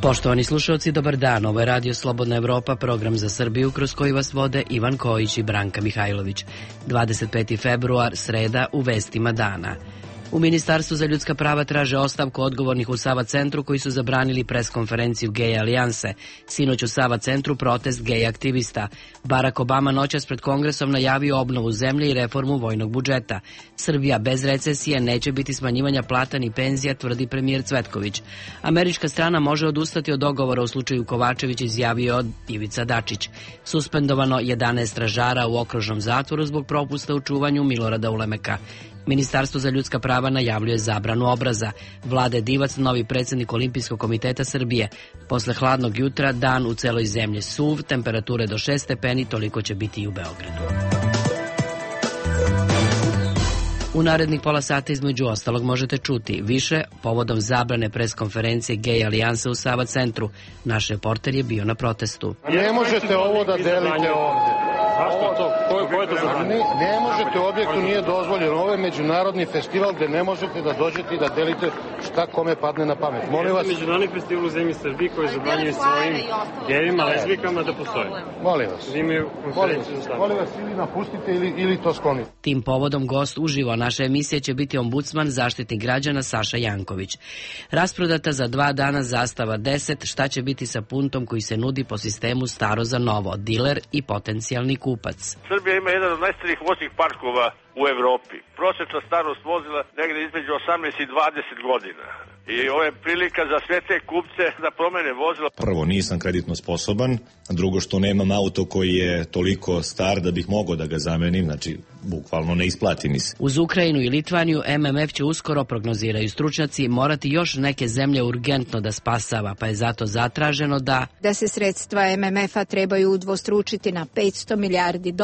Poštovani slušalci, dobar dan. Ovo je Radio Slobodna Evropa, program za Srbiju kroz koji vas vode Ivan Kojić i Branka Mihajlović. 25. februar, sreda, u vestima dana. U Ministarstvu za ljudska prava traže ostavku odgovornih u Sava centru koji su zabranili preskonferenciju Gej alijanse. Sinoć u Sava centru protest gej aktivista. Barack Obama noćas pred Kongresom najavio obnovu zemlje i reformu vojnog budžeta. Srbija bez recesije, neće biti smanjivanja plata ni penzija, tvrdi premijer Cvetković. Američka strana može odustati od dogovora u slučaju Kovačević, izjavio Ivica Dačić. Suspendovano 11 stražara u okružnom zatvoru zbog propusta u čuvanju Milorada Ulemeka. Ministarstvo za ljudska prava najavljuje zabranu obraza. Vlade Divac, novi predsjednik Olimpijskog komiteta Srbije. Posle hladnog jutra, dan u celoj zemlji suv, temperature do 6 stepeni, toliko će biti i u Beogradu. U narednih pola sata između ostalog možete čuti više povodom zabrane preskonferencije Gej alijanse u Sava centru. Naš reporter je bio na protestu. Ne možete ovo da delite ovde. Zašto to? Ko je to zabranio? Ne možete, u objektu nije dozvoljeno. Ovo je međunarodni festival gde ne možete da dođete i da delite šta kome padne na pamet. Molim vas. Međunarodni festival u zemlji Srbiji koji zabranjuje svojim gejima, lezbijkama da postoje. Molim vas. Molim vas, ili napustite ili to sklonite. Tim povodom gost uživo naše emisije će biti ombudsman zaštitnik građana Saša Janković. Rasprodata za 2 dana zastava 10, šta će biti sa puntom koji se nudi po sistemu staro za novo, diler i potencijalni kupac. Srbija ima jedan od najstarijih voznih parkova u Evropi. Prosječna starost vozila negde između 18 i 20 godina. I ovo je prilika za sve te kupce da promene vozila. Prvo, nisam kreditno sposoban. Drugo, što nemam auto koji je toliko star da bih mogao da ga zamenim. Znači, bukvalno ne isplati mi se. Uz Ukrajinu i Litvaniju MMF će uskoro, prognoziraju stručnjaci, morati još neke zemlje urgentno da spasava, pa je zato zatraženo da se sredstva MMF-a trebaju udvostručiti na $500 milijardi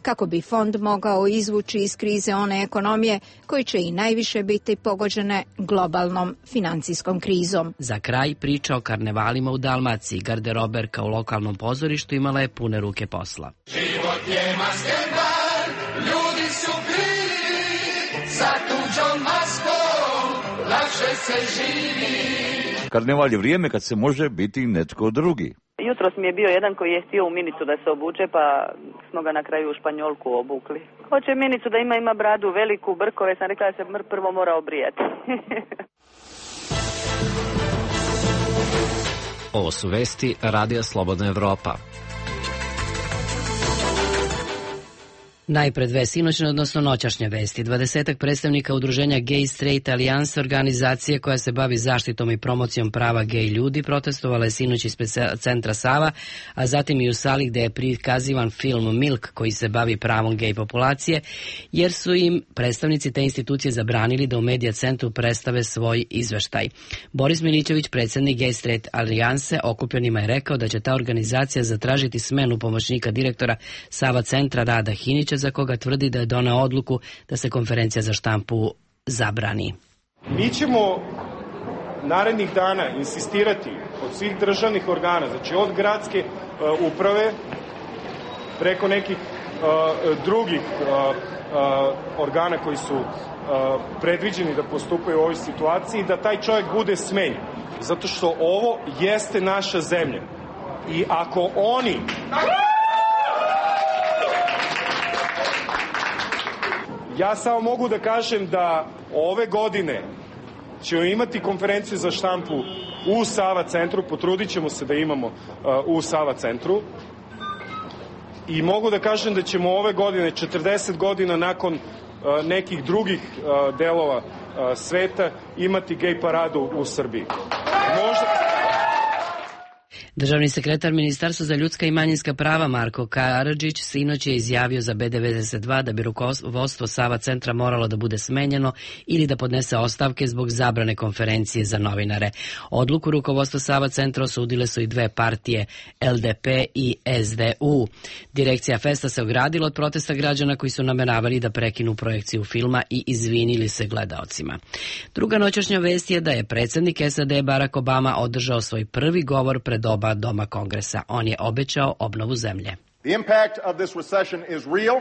kako bi fond mogao izvući iz krize one ekonomije koji će i najviše biti pogođene globalnom financijskom krizom. Za kraj priča o karnevalima u Dalmaciji. Garderoberka u lokalnom pozorištu imala je pune ruke posla. Život je maskenbar, ljudi su krivi, sa tuđom maskom lakše se živi. Karneval je vrijeme kad se može biti netko drugi. Jutros mi je bio jedan koji je htio u minicu da se obuče, pa smo ga na kraju u Španjolku obukli. Hoće minicu da ima bradu veliku, brkove, sam rekla da se prvo mora obrijati. Ovo su vesti Radija Slobodna Evropa. Najpred dve sinoćne, odnosno noćašnje vesti. 20 predstavnika udruženja Gay Straight Alliance, organizacije koja se bavi zaštitom i promocijom prava gej ljudi, protestovala je sinoć ispred centra Sava, a zatim i u sali gde je prikazivan film Milk koji se bavi pravom gej populacije, jer su im predstavnici te institucije zabranili da u Medija centru predstave svoj izveštaj. Boris Milićević, predsjednik Gay Straight Alliance, okupljenima je rekao da će ta organizacija zatražiti smenu pomoćnika direktora Sava centra Rada Hinića, za koga tvrdi da je doneo odluku da se konferencija za štampu zabrani. Mi ćemo narednih dana insistirati od svih državnih organa, znači od gradske uprave preko nekih drugih organa koji su predviđeni da postupaju u ovoj situaciji, da taj čovjek bude smenjen. Zato što ovo jeste naša zemlja. I ako oni... Ja samo mogu da kažem da ove godine ćemo imati konferenciju za štampu u Sava centru, potrudit ćemo se da imamo u Sava centru i mogu da kažem da ćemo ove godine, 40 godina nakon nekih drugih delova sveta, imati gej paradu u Srbiji. Državni sekretar Ministarstva za ljudska i manjinska prava Marko Karadžić sinoć je izjavio za B92 da bi rukovodstvo Sava centra moralo da bude smenjeno ili da podnese ostavke zbog zabrane konferencije za novinare. Odluku rukovodstva Sava centra osudile su i dve partije, LDP i SDU. Direkcija Festa se ogradila od protesta građana koji su nameravali da prekinu projekciju filma i izvinili se gledaocima. Druga noćašnja vest je da je predsjednik SAD Barack Obama održao svoj prvi govor pred oba doma Kongresa. On je obećao obnovu zemlje. The impact of this recession is real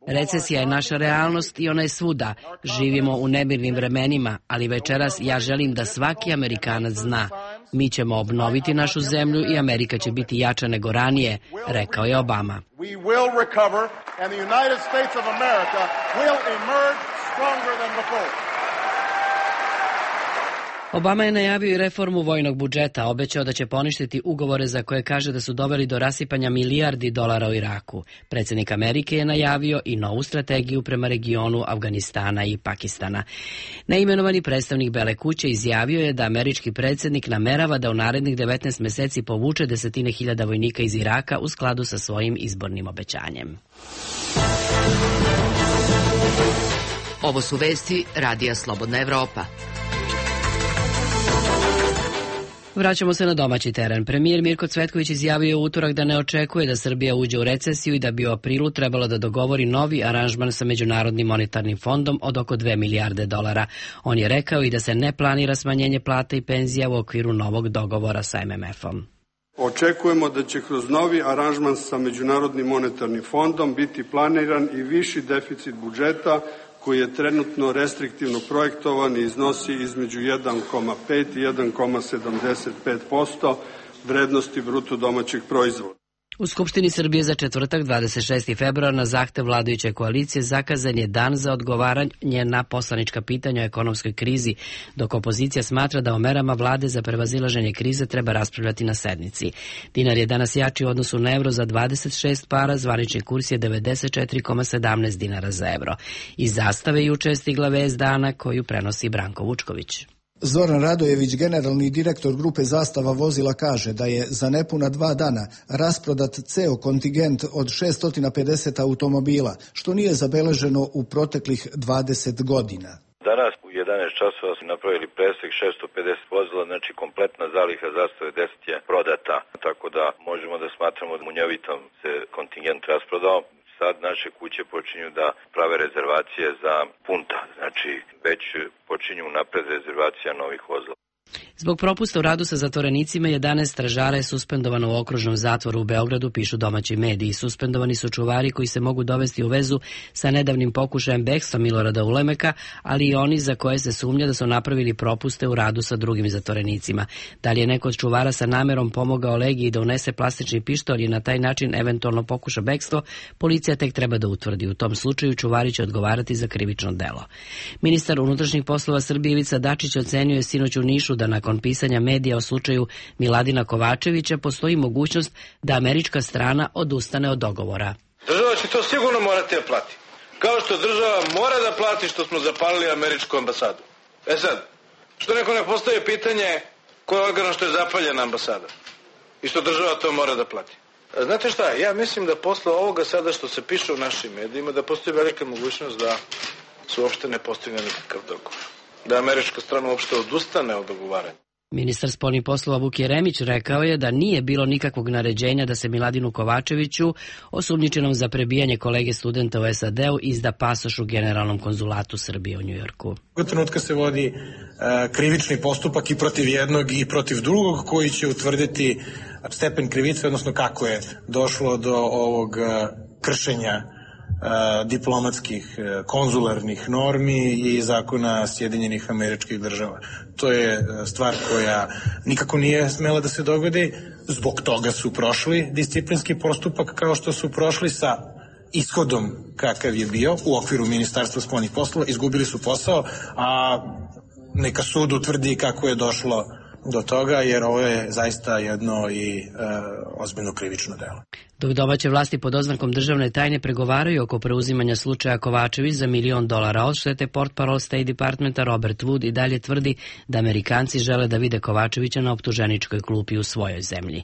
Recesija je naša realnost i ona je svuda. Živimo u nemirnim vremenima, ali večeras ja želim da svaki Amerikanac zna. Mi ćemo obnoviti našu zemlju i Amerika će biti jača nego ranije, rekao je Obama. Obama je najavio i reformu vojnog budžeta, obećao da će poništiti ugovore za koje kaže da su doveli do rasipanja milijardi dolara u Iraku. Predsjednik Amerike je najavio i novu strategiju prema regionu Afganistana i Pakistana. Neimenovani predstavnik Bele kuće izjavio je da američki predsjednik namerava da u narednih 19 meseci povuče desetine hiljada vojnika iz Iraka u skladu sa svojim izbornim obećanjem. Ovo su vesti Radija Slobodna Evropa. Vraćamo se na domaći teren. Premijer Mirko Cvetković izjavio u utorak da ne očekuje da Srbija uđe u recesiju i da bi u aprilu trebalo da dogovori novi aranžman sa Međunarodnim monetarnim fondom od oko 2 milijarde dolara. On je rekao i da se ne planira smanjenje plata i penzija u okviru novog dogovora sa MMF-om. Očekujemo da će kroz novi aranžman sa Međunarodnim monetarnim fondom biti planiran i viši deficit budžeta koji je trenutno restriktivno projektovan i iznosi između 1,5 i 1,75% vrednosti bruto domaćeg proizvoda. U Skupštini Srbije za četvrtak 26. februar na zahtev vladajuće koalicije zakazan je dan za odgovaranje na poslanička pitanja o ekonomskoj krizi, dok opozicija smatra da o merama vlade za prevazilaženje krize treba raspravljati na sednici. Dinar je danas jači u odnosu na evro za 26 para, zvanični kurs je 94,17 dinara za evro. Iz Zastave juče je stigla vest dana koju prenosi Branko Vučković. Zoran Radojević, generalni direktor grupe Zastava vozila, kaže da je za nepuna 2 dana rasprodat ceo kontingent od 650 automobila, što nije zabeleženo u proteklih 20 godina. Danas u 11 časova su napravili presek 650 vozila, znači kompletna zaliha Zastave 10 je prodata, tako da možemo da smatramo da munjevitom se kontingent rasprodao. Sad naše kuće počinju da prave rezervacije za punta, znači već počinju napred rezervacija novih vozila. Zbog propusta u radu sa zatvorenicima 11 stražara je suspendovano u okružnom zatvoru u Beogradu, pišu domaći mediji. Suspendovani su čuvari koji se mogu dovesti u vezu sa nedavnim pokušajem bekstva Milorada Ulemeka, ali i oni za koje se sumnja da su napravili propuste u radu sa drugim zatvorenicima. Da li je neko od čuvara sa namerom pomogao Legiji da unese plastični pištolj i na taj način eventualno pokuša bekstvo, policija tek treba da utvrdi. U tom slučaju čuvari će odgovarati za krivično delo. Ministar unutrašnjih poslova Srbije Ivica Dačić ocenio je sinoć u Nišu da nakon pisanja medija o slučaju Miladina Kovačevića postoji mogućnost da američka strana odustane od dogovora. Država će to sigurno morati da plati. Kao što država mora da plati što smo zapalili američku ambasadu. Sad, što neko ne postavi pitanje ko je organ što je zapaljena ambasada i što država to mora da plati. Znate šta, ja mislim da posle ovoga sada što se piše u našim medijima da postoji velika mogućnost da se uopšte ne postigne nikakav dogovor. Da američka strana uopšte odustane od dogovaranja. Ministar spoljnih poslova Vuk Jeremić rekao je da nije bilo nikakvog naređenja da se Miladinu Kovačeviću, osumnjičenom za prebijanje kolege studenta u SAD-u, izda pasoš u Generalnom konzulatu Srbije u Njujorku. U trenutka se vodi krivični postupak i protiv jednog i protiv drugog koji će utvrditi stepen krivice, odnosno kako je došlo do ovog kršenja diplomatskih, konzularnih normi i zakona Sjedinjenih Američkih Država. To je stvar koja nikako nije smela da se dogodi, zbog toga su prošli disciplinski postupak kao što su prošli sa ishodom kakav je bio u okviru Ministarstva spoljnih poslova, izgubili su posao, a neka sud utvrdi kako je došlo do toga, jer ovo je zaista jedno i ozbiljno krivično delo. Dok domaće vlasti pod oznakom državne tajne pregovaraju oko preuzimanja slučaja Kovačević za $1 milion odštete, portparol State Departmenta Robert Wood i dalje tvrdi da Amerikanci žele da vide Kovačevića na optuženičkoj klupi u svojoj zemlji.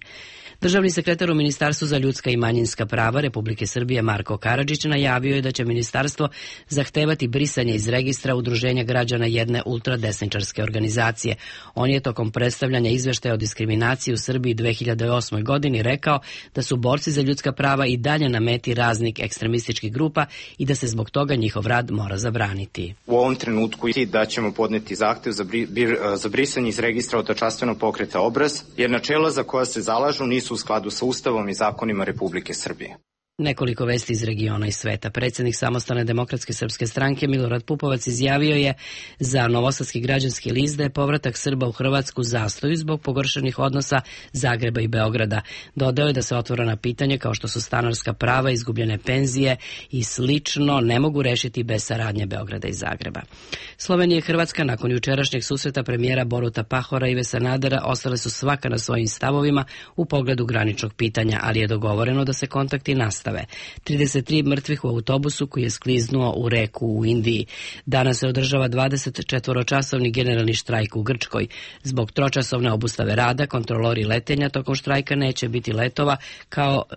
Državni sekretar u Ministarstvu za ljudska i manjinska prava Republike Srbije Marko Karadžić najavio je da će ministarstvo zahtevati brisanje iz registra udruženja građana jedne ultradesničarske organizacije. On je tokom predstavljanja izveštaja o diskriminaciji u Srbiji 2008. godini rekao da su borci za ljudska prava i dalje na meti raznih ekstremističkih grupa i da se zbog toga njihov rad mora zabraniti. U ovom trenutku da ćemo podneti zahtev za brisanje iz registra autočastvenog pokreta Obraz, jer načela za koja se zalažu nisu u skladu sa Ustavom i zakonima Republike Srbije. Nekoliko vesti iz regiona i sveta. Predsjednik Samostalne demokratske srpske stranke Milorad Pupovac izjavio je za Novosadski građanski list da je povratak Srba u Hrvatsku zastoju zbog pogoršanih odnosa Zagreba i Beograda. Dodao je da se otvorena pitanja kao što su stanarska prava, izgubljene penzije i slično ne mogu rešiti bez saradnje Beograda i Zagreba. Slovenija i Hrvatska nakon jučerašnjeg susreta premijera Boruta Pahora i Ive Sanadera ostale su svaka na svojim stavovima u pogledu graničnog pitanja, ali je dogovoreno da se kontakti nastave. 33 mrtvih u autobusu koji je skliznuo u reku u Indiji. Danas se održava 24-časovni generalni štrajk u Grčkoj. Zbog tročasovne obustave rada, kontrolori letenja tokom štrajka neće biti letova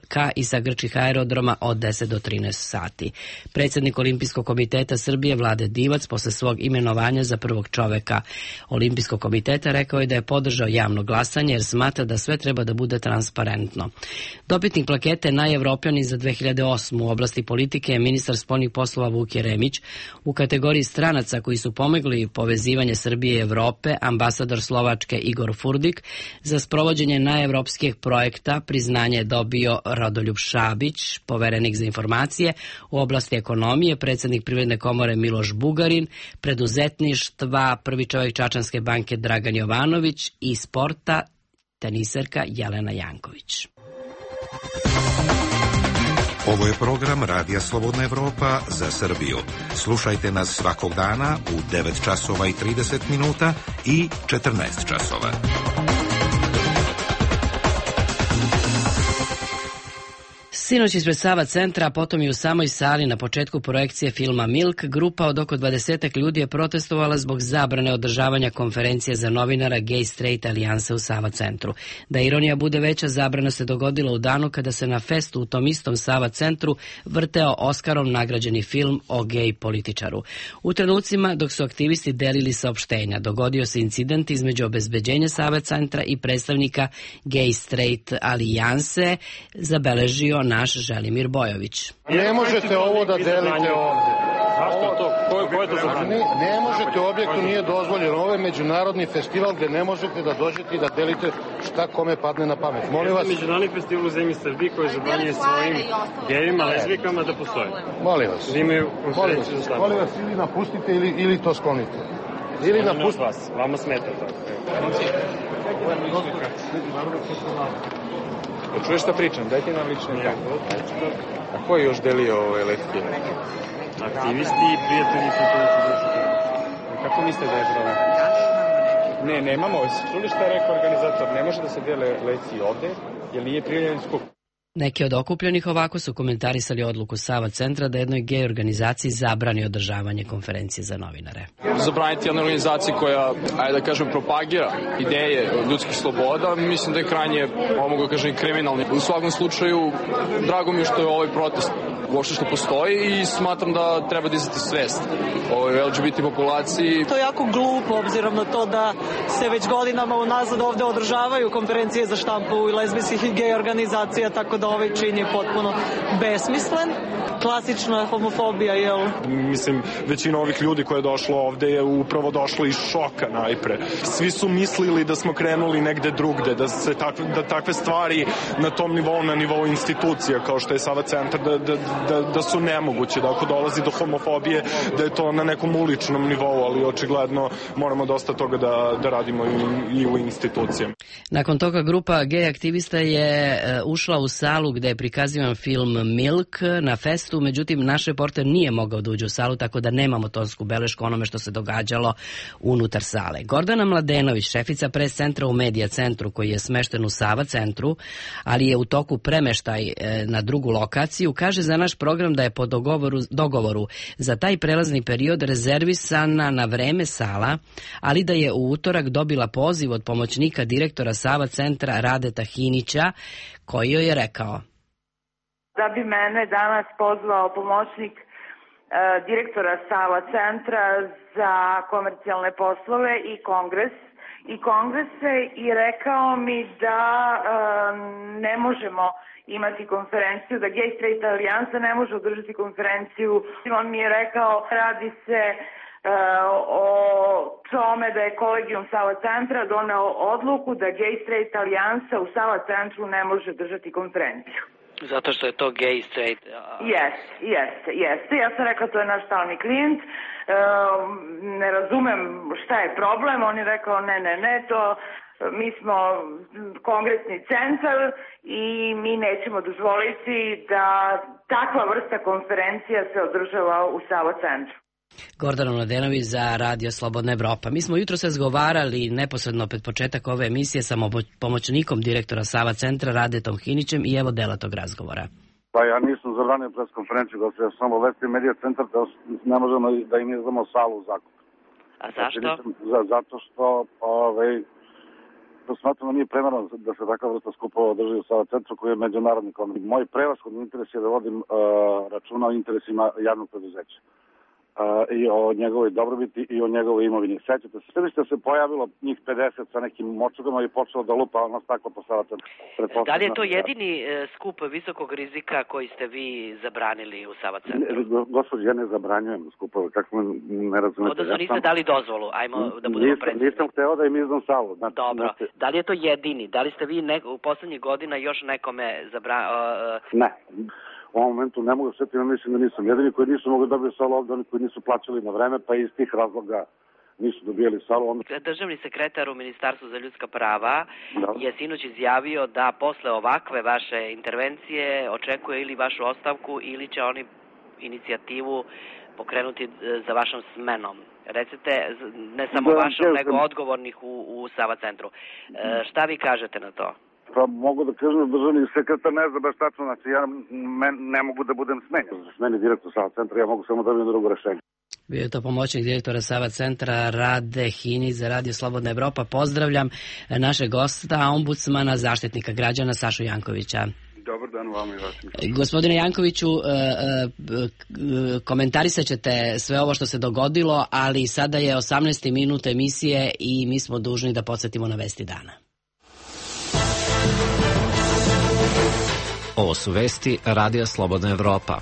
ka i sa grčkih aerodroma od 10 do 13 sati. Predsjednik Olimpijskog komiteta Srbije Vlade Divac posle svog imenovanja za prvog čoveka Olimpijskog komiteta rekao je da je podržao javno glasanje jer smatra da sve treba da bude transparentno. Dobitnik plakete Najevropljanin za 2008. u oblasti politike je ministar spoljnih poslova Vuk Jeremić. U kategoriji stranaca koji su pomogli povezivanje Srbije i Evrope, ambasador Slovačke Igor Furdik. Za sprovođenje najevropskih projekta priznanje je dobio Radoljub Šabić, poverenik za informacije. U oblasti ekonomije predsjednik Privredne komore Miloš Bugarin, preduzetništva prvi čovjek Čačanske banke Dragan Jovanović i sporta teniserka Jelena Janković. Ovo je program Radija Slobodna Evropa za Srbiju. Slušajte nas svakog dana u 9 časova i 30 minuta i 14 časova. Sinoć ispred Sava centra, a potom i u samoj sali na početku projekcije filma Milk, grupa od oko 20 ljudi je protestovala zbog zabrane održavanja konferencije za novinara Gay Straight Alijanse u Sava centru. Da ironija bude veća, zabrana se dogodila u danu kada se na festu u tom istom Sava centru vrteo Oskarom nagrađeni film o gej političaru. U trenucima dok su aktivisti delili saopštenja, dogodio se incident između obezbeđenja Sava centra i predstavnika Gay Straight Alijanse, zabeležio naš Želimir Bojović. Ne možete ovo da delite ovdje. Zašto to? Ko je to zabranio? Ne možete, u objektu nije dozvoljeno. Ovo je međunarodni festival gde ne možete da dođete i da delite šta kome padne na pamet. Molim vas. Međunarodni festival u zemlji Srbiji koji zabranjuje svojim gejima, lezbijkama da postoje. Molim vas. Molim vas, ili napustite ili to sklonite. Ili napustite. Vama smeta to. Čuješ šta pričam? Dajte nam lične karte. A ko je još delio ove letke? Aktivisti i prijatelji kulturnici društva. Kako mislite da je problem? Ne, nemamo. Čuli šta je rekao organizator? Ne može da se dele lekcije ovde, jer nije prijavljen skup. Neki od okupljenih ovako su komentarisali odluku Sava centra da jednoj gej organizaciji zabrani održavanje konferencije za novinare. Zabraniti jednoj organizaciji koja, ajde da kažem, propagira ideje ljudskih sloboda, mislim da je krajnje, mogu da kažem, kriminalni. U svakom slučaju, drago mi je što je ovaj protest uopšte što postoji i smatram da treba dizati svest o LGBT populaciji. To je jako glupo, obzirom na to da se već godinama unazad ovde održavaju konferencije za štampu i lezbijskih i gej organizacija, tako da ovaj čin je potpuno besmislen. Klasična homofobija, jel? Mislim, većina ovih ljudi koja je došla ovde je upravo došla iz šoka najpre. Svi su mislili da smo krenuli negde drugde, da takve stvari na tom nivou, na nivou institucija kao što je Sava centar, da su nemoguće, da ako dolazi do homofobije, da je to na nekom uličnom nivou, ali očigledno moramo dosta toga da radimo i u institucijama. Nakon toga grupa gej aktivista je ušla u salu gde je prikazivan film Milk na festu, međutim naš reporter nije mogao da uđe u salu, tako da nemamo tonsku belešku onome što se događalo unutar sale. Gordana Mladenović, šefica pres centra u Medija centru koji je smešten u Sava centru, ali je u toku premeštaj na drugu lokaciju, kaže za naš program da je po dogovoru za taj prelazni period rezervisana na vreme sala, ali da je u utorak dobila poziv od pomoćnika direktora Sava centra Radeta Hinića, koji joj je rekao: da bi mene danas pozvao pomoćnik direktora Sava centra za komercijalne poslove i kongrese i rekao mi da ne možemo imati konferenciju, da Gay Straight Alijansa ne može održati konferenciju. On mi je rekao, radi se o tome da je kolegijum Sava centra doneo odluku da Gay Straight Alijansa u Sava centru ne može držati konferenciju. Zato što je to gay, straight? Jeste. Ja sam rekao to je naš stalni klijent. Ne razumem šta je problem. On je rekao ne, to mi smo kongresni centar i mi nećemo dozvoliti da takva vrsta konferencija se održava u Sava centru. Gordana Mladenović za Radio Slobodna Evropa. Mi smo jutro se razgovarali neposredno pred početak ove emisije sa pomoćnikom direktora Sava centra Radetom Hinićem i evo dela tog razgovora. Pa ja nisam zabranio pres konferenciju, da se samo vesti medija centar, da ne možemo da im izdamo salu u zakup. A zašto? Zato što smatramo nije primerno da se takva vrsta skupova održi u Sava centru koji je međunarodni kongres. Moj prevashodni interes je da vodim računa o interesima javnog preduzeća. I o njegovoj dobrobiti i o njegovoj imovini. Sećate se, sve se pojavilo njih 50 sa nekim močugama i počelo da lupa ono staklo po Sava centru. Da li je to jedini skup visokog rizika koji ste vi zabranili u Sava centru? Gospodin, ja ne zabranjujem skupove, kako ne razumete. Odnosno niste dali dozvolu, ajmo da budemo precizni. Nisam hteo da im izdam salu. Dobro, da li je to jedini? Da li ste vi u poslednjih godina još nekome zabranili? Ne. U ovom momentu ne mogu sjetiti, mislim da nisam jedini koji nisu mogli dobiti salu ovdje, oni koji nisu plaćali na vreme, pa iz tih razloga nisu dobijali salu. Državni sekretar u Ministarstvu za ljudska prava je sinoć izjavio da posle ovakve vaše intervencije očekuje ili vašu ostavku ili će oni inicijativu pokrenuti za vašom smenom. Recite, ne samo vašom, nego odgovornih u Sava centru. Šta vi kažete na to? Pa mogu da kažem da državni sekretar ne zna baš tačno, znači ja ne mogu da budem smenjen. Smeni direktor Sava centra, ja mogu samo da vidim drugo rešenje. Bio je to pomoćnik direktora Sava centra Rade Hinić za Radio Slobodna Evropa. Pozdravljam našeg gosta, ombudsmana, zaštitnika građana Sašu Jankovića. Dobar dan vama i vašim. Gospodine Jankoviću, komentarisat ćete sve ovo što se dogodilo, ali sada je 18. minut emisije i mi smo dužni da podsjetimo na vesti dana. Ovo su vesti Radija Slobodna Evropa.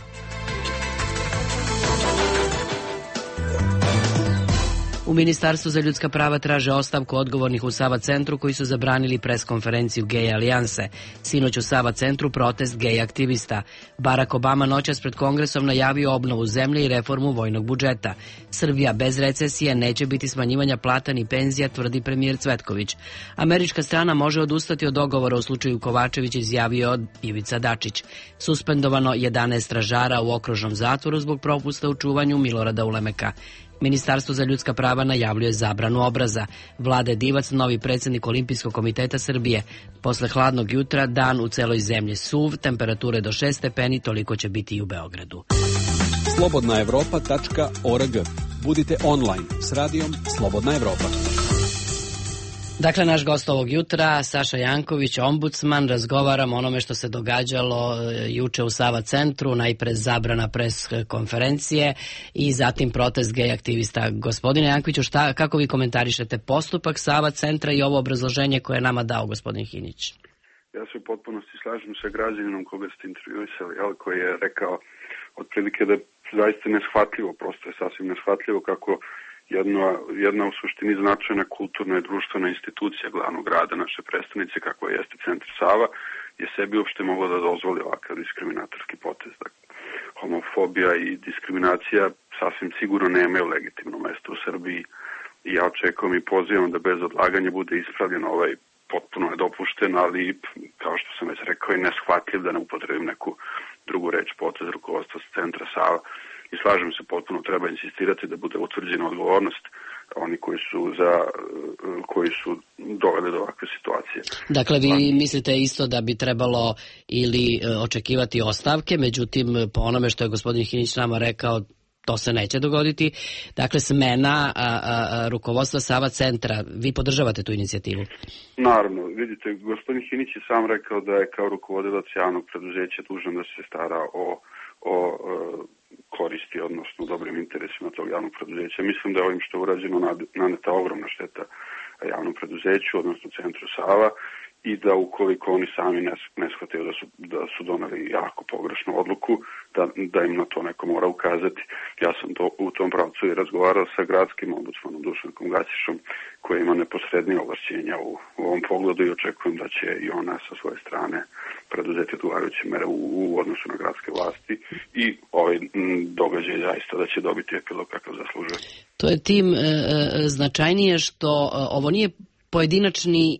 U Ministarstvu za ljudska prava traže ostavku odgovornih u Sava centru koji su zabranili preskonferenciju Gej alijanse. Sinoć u Sava centru protest gej aktivista. Barack Obama noćas pred Kongresom najavio obnovu zemlje i reformu vojnog budžeta. Srbija bez recesije, neće biti smanjivanja plata ni penzija, tvrdi premijer Cvetković. Američka strana može odustati od dogovora u slučaju Kovačević, izjavio Ivica Dačić. Suspendovano 11 stražara u okružnom zatvoru zbog propusta u čuvanju Milorada Ulemeka. Ministarstvo za ljudska prava najavljuje zabranu obraza. Vlade Divac, novi predsjednik Olimpijskog komiteta Srbije. Posle hladnog jutra dan u celoj zemlji suv, temperature do 6 stepeni, toliko će biti i u Beogradu. slobodnaevropa.org. Budite online s radijom Slobodna Evropa. Dakle, naš gost ovog jutra, Saša Janković, ombudsman, razgovaram o onome što se događalo juče u Sava centru, najpre zabrana pres konferencije i zatim protest gej aktivista. Gospodine Jankoviću, kako vi komentarišete postupak Sava centra i ovo obrazloženje koje je nama dao gospodin Hinić? Ja se u potpunosti slažem sa građaninom koga ste intervjuisali, koji je rekao otprilike da je zaista neshvatljivo, prosto je sasvim neshvatljivo kako jedna u suštini značajna kulturna i društvena institucija glavnog grada naše prestonice, kako jeste Centar Sava, je sebi uopšte mogla da dozvoli ovakav diskriminatorski potez. Homofobija i diskriminacija sasvim sigurno nemaju legitimno mesto u Srbiji i ja očekujem i pozivam da bez odlaganja bude ispravljen ovaj potpuno nedopušten, ali kao što sam već rekao i neshvatljiv, da ne upotrebim neku drugu reč, potez rukovodstva Centra Sava. I slažem se, potpuno treba insistirati da bude utvrđena odgovornost oni koji su doveli do ovakve situacije. Dakle, vi mislite isto da bi trebalo ili očekivati ostavke, međutim, po onome što je gospodin Hinić nama rekao, to se neće dogoditi. Dakle, smena rukovodstva Sava centra. Vi podržavate tu inicijativu? Naravno. Vidite, gospodin Hinić je sam rekao da je kao rukovodilac javnog preduzeća dužan da se stara o koristi, odnosno dobrim interesima tog javnog preduzeća. Mislim da je ovim što je urađeno naneta ogromna šteta javnom preduzeću, odnosno Centru Sava, i da ukoliko oni sami ne shvataju da su doneli jako pogrešnu odluku, da im na to neko mora ukazati. Ja sam u tom pravcu i razgovarao sa gradskim ombudsmanom Dušankom Gaćišom, koji ima neposrednije ovlašćenja u ovom pogledu i očekujem da će i ona sa svoje strane preduzeti odgovarajuće mere u odnosu na gradske vlasti i ovaj događaj zaista da će dobiti epilog kakav zaslužuje. To je tim značajnije što ovo nije pojedinačni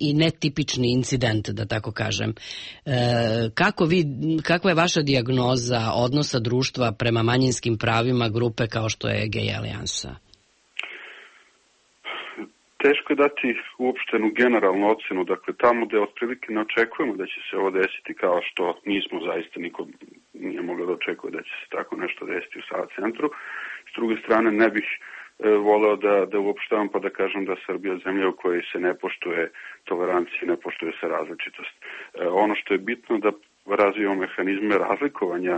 i netipični incident, da tako kažem. Kakva je vaša dijagnoza odnosa društva prema manjinskim pravima grupe kao što je Gej alijansa? Teško je dati uopštenu generalnu ocenu, dakle tamo da otprilike ne očekujemo da će se ovo desiti kao što nismo zaista, niko nije mogao da očekuje da će se tako nešto desiti u Sava centru. S druge strane ne bih voleo da uopštavam pa da kažem da Srbija je zemlja u kojoj se ne poštuje tolerancija, ne poštuje se različitost. Ono što je bitno da razvijamo mehanizme razlikovanja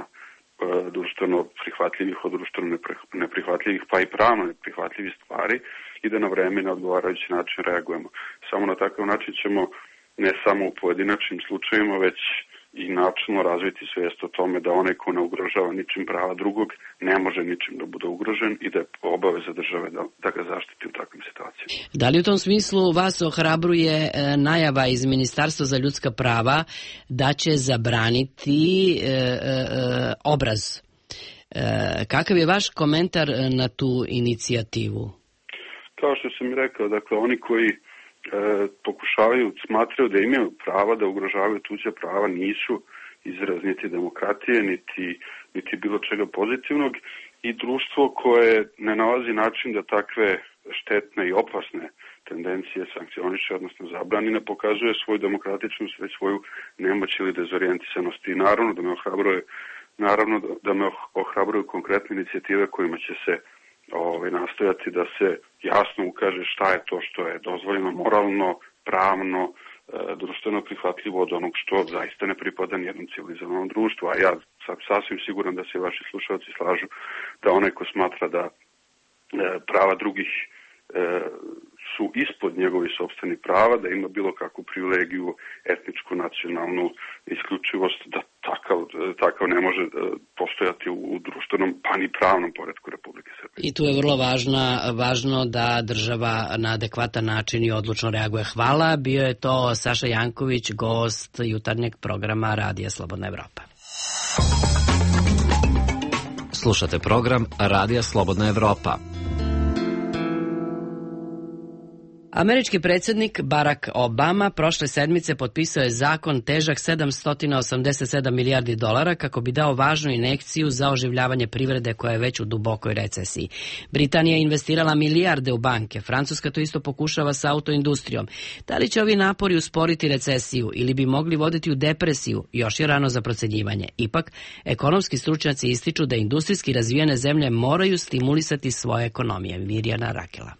društveno prihvatljivih od društveno neprihvatljivih, pa i pravno neprihvatljivih stvari i da na vreme na odgovarajući način reagujemo. Samo na takav način ćemo ne samo u pojedinačnim slučajima, već i načelno razviti svijest o tome da onaj ko ne ugrožava ničim prava drugog ne može ničim da bude ugrožen i da je obaveza države da ga zaštiti u takvim situacijama. Da li u tom smislu vas ohrabruje najava iz Ministarstva za ljudska prava da će zabraniti obraz? Kakav je vaš komentar na tu inicijativu? Kao što sam i rekao, dakle oni koji smatraju da imaju prava da ugrožavaju tuđa prava nisu izraz niti demokratije, niti bilo čega pozitivnog i društvo koje ne nalazi način da takve štetne i opasne tendencije sankcioniše, odnosno zabrani, ne pokazuje svoju demokratičnost, već svoju nemoć ili dezorijentisanost. I naravno da me ohrabruju konkretne inicijative kojima će se nastojati da se jasno ukaže šta je to što je dozvoljeno moralno, pravno, društveno prihvatljivo od onog što zaista ne pripada nijednom civilizovanom društvu. A ja sam sasvim siguran da se vaši slušalci slažu da onaj ko smatra da prava drugih su ispod njegovih sopstvenih prava, da ima bilo kakvu privilegiju, etničku, nacionalnu isključivost, da takav ne može postojati u društvenom pa ni pravnom poretku Republike Srbije. I tu je vrlo važno da država na adekvatan način i odlučno reaguje. Hvala, bio je to Saša Janković, gost jutarnjeg programa Radija Slobodna Evropa. Slušate program Radija Slobodna Evropa. Američki predsjednik Barack Obama prošle sedmice potpisao je zakon težak $787 milijardi kako bi dao važnu injekciju za oživljavanje privrede koja je već u dubokoj recesiji. Britanija je investirala milijarde u banke, Francuska to isto pokušava sa autoindustrijom. Da li će ovi napori usporiti recesiju ili bi mogli voditi u depresiju, još je rano za procenjivanje. Ipak, ekonomski stručnjaci ističu da industrijski razvijene zemlje moraju stimulisati svoje ekonomije. Mirjana Rakela.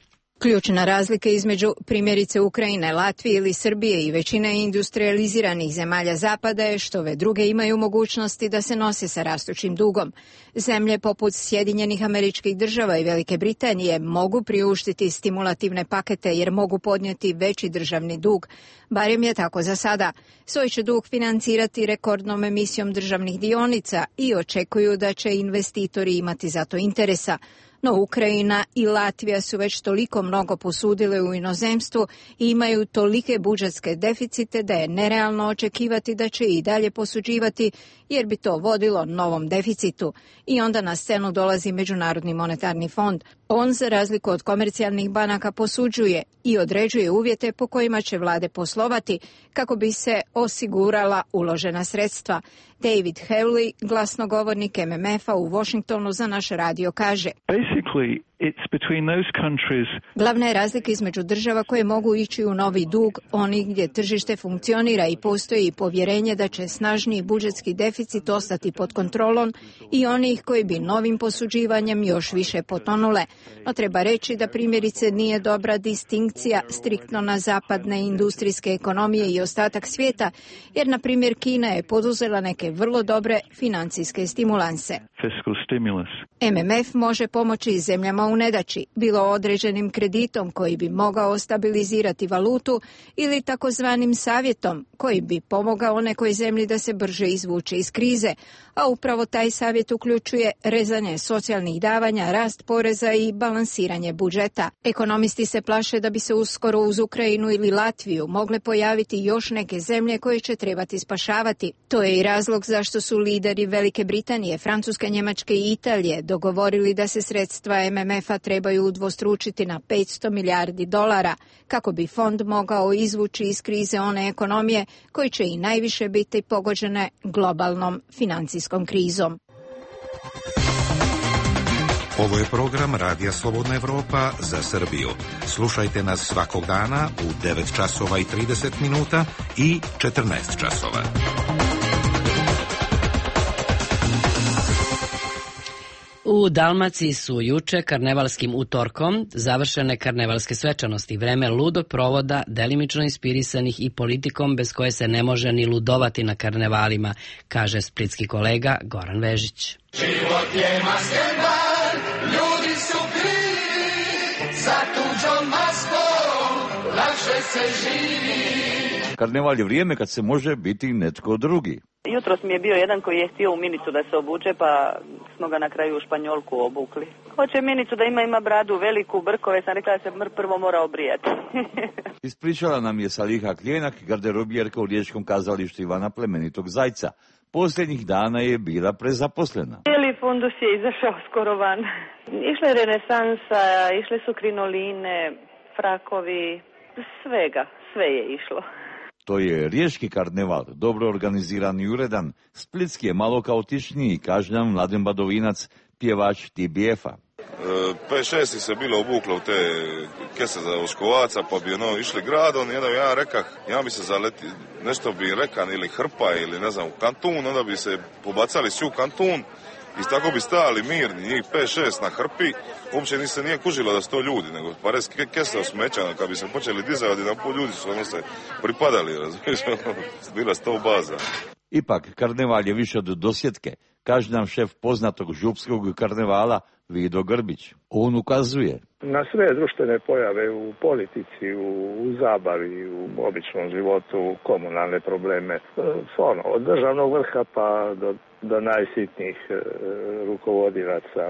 Ključna razlika između primjerice Ukrajine, Latvije ili Srbije i većine industrializiranih zemalja Zapada je što ove druge imaju mogućnosti da se nose sa rastućim dugom. Zemlje poput Sjedinjenih Američkih Država i Velike Britanije mogu priuštiti stimulativne pakete jer mogu podnijeti veći državni dug. Barem je tako za sada. Svoj će dug financirati rekordnom emisijom državnih dionica i očekuju da će investitori imati za to interesa. No Ukrajina i Latvija su već toliko mnogo posudile u inozemstvu i imaju tolike budžetske deficite da je nerealno očekivati da će i dalje posuđivati jer bi to vodilo novom deficitu. I onda na scenu dolazi Međunarodni monetarni fond. On, za razliku od komercijalnih banaka, posuđuje i određuje uvjete po kojima će vlade poslovati kako bi se osigurala uložena sredstva. David Hewley, glasnogovornik MMF-a u Washingtonu za naš radio, kaže: Glavna je razlika između država koje mogu ići u novi dug, onih gdje tržište funkcionira i postoji povjerenje da će snažniji budžetski deficit ostati pod kontrolom, i onih koji bi novim posuđivanjem još više potonule. No treba reći da primjerice nije dobra distinkcija striktno na zapadne industrijske ekonomije i ostatak svijeta, jer na primjer Kina je poduzela neke vrlo dobre financijske stimulanse. MMF može pomoći zemljama u nedaći, bilo određenim kreditom koji bi mogao stabilizirati valutu ili takozvanim savjetom koji bi pomogao nekoj zemlji da se brže izvuče iz krize, a upravo taj savjet uključuje rezanje socijalnih davanja, rast poreza i balansiranje budžeta. Ekonomisti se plaše da bi se uskoro uz Ukrajinu ili Latviju mogle pojaviti još neke zemlje koje će trebati spašavati. To je i razlog zašto su lideri Velike Britanije, Francuske, Njemačke i Italije dogovorili da se sredstva MMF-a trebaju udvostručiti na $500 milijardi kako bi fond mogao izvući iz krize one ekonomije koji će i najviše biti pogođene globalnom financijskom krizom. Ovo je program Radija Slobodna Evropa za Srbiju. Slušajte nas svakog dana u 9 časova i 30 minuta i 14 časova. U Dalmaciji su juče karnevalskim utorkom završene karnevalske svečanosti, vreme ludog provoda, delimično inspirisanih i politikom bez koje se ne može ni ludovati na karnevalima, kaže splitski kolega Goran Vežić. Život je maskenbar, ljudi su krivi, za tuđom maskom lakše se živi. Karneval je vrijeme kad se može biti netko drugi. Jutros mi je bio jedan koji je htio u minicu da se obuče, pa smo ga na kraju u Španjolku obukli. Hoće minicu da ima bradu veliku, brkove, sam rekla da se prvo mora obrijati. Ispričala nam je Saliha Kljenak, garderobjerka u Riječkom kazalištu Ivana Plemenitog Zajca. Posljednjih dana je bila prezaposlena. Cijeli fundus je izašao skoro van. Išla je renesansa, išle su krinoline, frakovi, sve je išlo. To je riječki karneval, dobro organiziran i uredan. Splitski je malo kaotičniji, kaže nam Mladen Badovinac, pjevač TBF-a. 5-6 se bilo obuklo u te kese za oškovaca, pa bi išli gradom, ja rekah, ja bi se zaleti, nešto bi rekan ili hrpa ili ne znam, u kantun, onda bi se pobacali svi u kantun i tako bi stajali mirni, njih 5-6 na hrpi, uopće nije kužilo da su to ljudi, nego pares kese osmećano, kad bi se počeli dizati, na pol ljudi su se pripadali, razumiješ, bila 100 baza. Ipak, karneval je više od dosjetke, kaže nam šef poznatog župskog karnevala Vido Grbić. On ukazuje na sve društvene pojave u politici, u zabavi, u običnom životu, komunalne probleme, od državnog vrha pa do najsitnijih rukovodilaca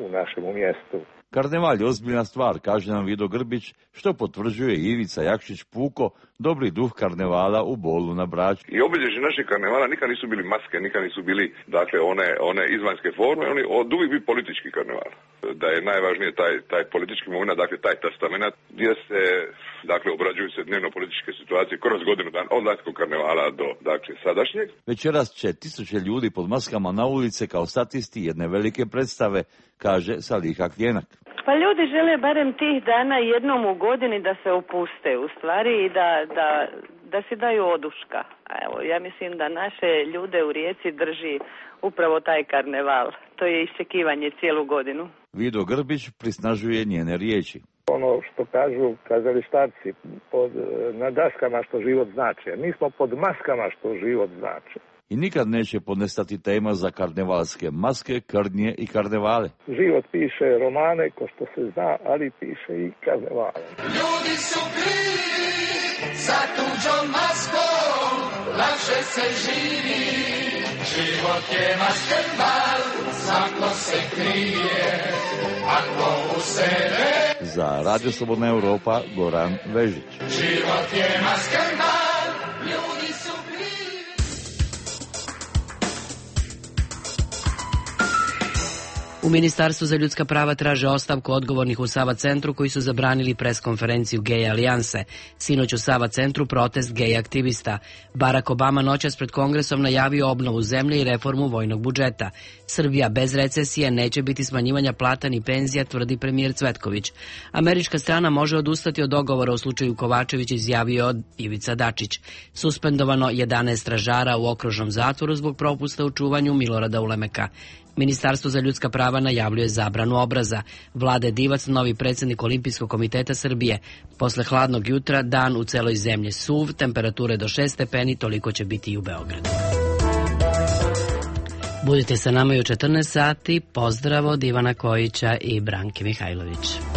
u našem mjestu. Karneval je ozbiljna stvar, kaže nam Vido Grbić, što potvrđuje Ivica Jakšić Puko, dobri duh karnevala u Bolu na Braču. I obilježje naših karnevala nikad nisu bili maske, nikad nisu bili one izvanjske forme, oni od uvijek bi politički karneval. Da je najvažnije taj politički moment, dakle taj testament gdje se obrađuju se dnevno političke situacije kroz godinu dana od lanjskog karnevala do sadašnjeg. Večeras će 1000 ljudi pod maskama na ulice kao statisti jedne velike predstave, kaže Saliha Kljenak. Pa ljudi žele barem tih dana jednom u godini da se opuste u stvari i da si daju oduška. Evo, ja mislim da naše ljude u Rijeci drži upravo taj karneval. To je iščekivanje cijelu godinu. Vido Grbić prisnažuje njene riječi. Ono što kažu kazalištarci, na daskama što život znači, a mi smo pod maskama što život znači. I nikad neće podnestati tema za karnevalske maske, krdnje i karnevale. Život piše romane, ko što se zna, ali piše i karnevale. Ljudi su krivi, za tuđom maskom, lakše se živi. Život je maskenbal, svako se krije, ako u sebe. Za Radio Slobodna Evropa, Goran Vežić. Život je maskenbal, ljudi su U Ministarstvu za ljudska prava traže ostavku odgovornih u Sava centru koji su zabranili preskonferenciju Gej alijanse. Sinoć u Sava centru protest gej aktivista. Barack Obama noćas pred Kongresom najavio obnovu zemlje i reformu vojnog budžeta. Srbija bez recesije, neće biti smanjivanja plata ni penzija, tvrdi premijer Cvetković. Američka strana može odustati od dogovora u slučaju Kovačević, izjavio Ivica Dačić. Suspendovano 11 stražara u okružnom zatvoru zbog propusta u čuvanju Milorada Ulemeka. Ministarstvo za ljudska prava najavljuje zabranu obraza. Vlade Divac, novi predsjednik Olimpijskog komiteta Srbije. Posle hladnog jutra, dan u celoj zemlji suv, temperature do 6 stepeni, toliko će biti i u Beogradu. Budite sa nama i u 14 sati. Pozdrav od Ivana Kojića i Branke Mihajlović.